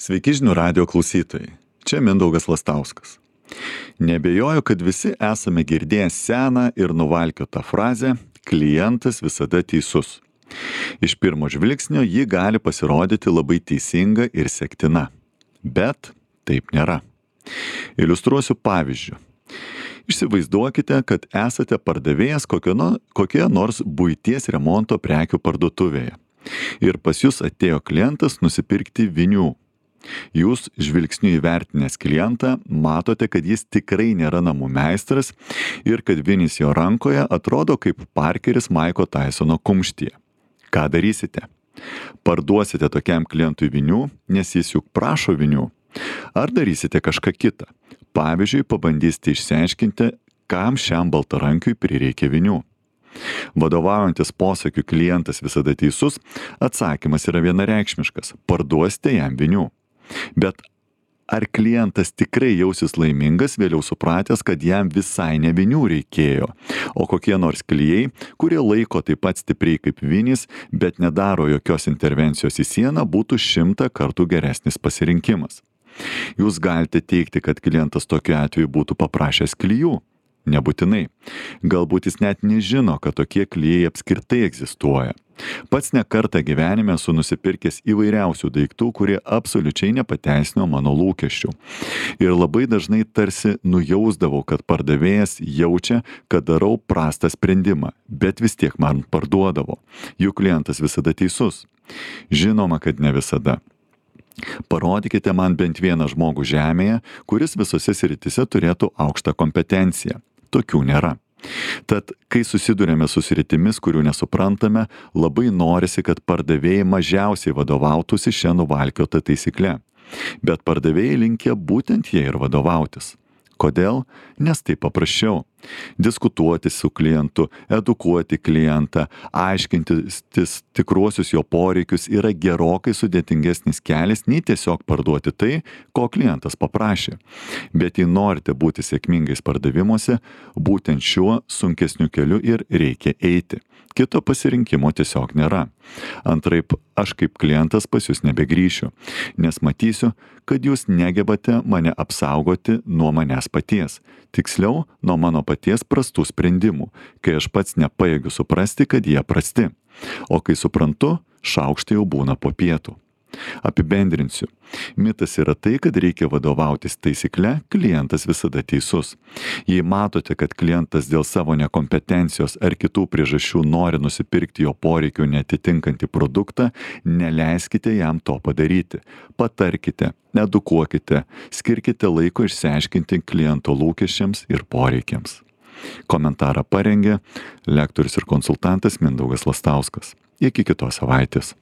Sveiki žinių radijo klausytojai. Čia Mindaugas Lastauskas. Nebejoju, kad visi esame girdėję seną ir nuvalkiotą frazę "klientas visada teisus". Iš pirmo žvilgsnio ji gali pasirodyti labai teisinga ir sektina. Bet taip nėra. Iliustruosiu pavyzdžiu. Įsivaizduokite, kad esate pardavėjas kokioje nors buities remonto prekių parduotuvėje. Ir pas jūs atėjo klientas nusipirkti vinių. Jūs žvilgsniu įvertinęs klientą matote, kad jis tikrai nėra namų meistras ir kad vinis jo rankoje atrodo kaip Parkeris Maiko Taisono kumštyje. Ką darysite? Parduosite tokiam klientui vinių, nes jis juk prašo vinių. Ar darysite kažką kitą? Pavyzdžiui, pabandysite išsiaiškinti, kam šiam baltarankiui prireikia vinių. Vadovaujantis posakiu "klientas visada teisus", atsakymas yra vienareikšmiškas - parduosite jam vinių. Bet ar klientas tikrai jausis laimingas vėliau supratęs, kad jam visai ne vinių reikėjo, o kokie nors klijai, kurie laiko taip pat stipriai kaip vinys, bet nedaro jokios intervencijos į sieną, būtų 100 kartų geresnis pasirinkimas? Jūs galite teigti, kad klientas tokiu atveju būtų paprašęs klijų. Nebūtinai. Galbūt jis net nežino, kad tokie klijai apskritai egzistuoja. Pats ne kartą gyvenime esu nusipirkęs įvairiausių daiktų, kurie absoliučiai nepateisino mano lūkesčių. Ir labai dažnai tarsi nujausdavau, kad pardavėjas jaučia, kad darau prastą sprendimą, bet vis tiek man parduodavo. Juk klientas visada teisus. Žinoma, kad ne visada. Parodykite man bent vieną žmogų žemėje, kuris visose srityse turėtų aukštą kompetenciją. Tokių nėra. Tad, kai susidurėme su sritimis, kurių nesuprantame, labai norisi, kad pardavėjai mažiausiai vadovautųsi šią nuvalkiotą taisyklę. Bet pardavėjai linkę būtent jie ir vadovautis. Kodėl? Nes tai paprasčiau. Diskutuoti su klientu, edukuoti klientą, aiškintis tikruosius jo poreikius yra gerokai sudėtingesnis kelias nei tiesiog parduoti tai, ko klientas paprašė. Bet jei norite būti sėkmingais pardavimuose, būtent šiuo sunkesniu keliu ir reikia eiti. Kito pasirinkimo tiesiog nėra. Antraip, aš kaip klientas pas jūs nebegrįšiu, nes matysiu, kad jūs negebate mane apsaugoti nuo manęs paties. Tiksliau, nuo mano paties prastų sprendimų, kai aš pats nepajėgiu suprasti, kad jie prasti. O kai suprantu, šaukštai jau būna po pietų. Apibendrinsiu. Mitas yra tai, kad reikia vadovautis taisykle "klientas visada teisus". Jei matote, kad klientas dėl savo nekompetencijos ar kitų priežasčių nori nusipirkti jo poreikių neatitinkantį produktą, neleiskite jam to padaryti. Patarkite, edukuokite, skirkite laiko išsiaiškinti kliento lūkesčiams ir poreikiams. Komentarą parengė lektorius ir konsultantas Mindaugas Lastauskas. Iki kitos savaitės.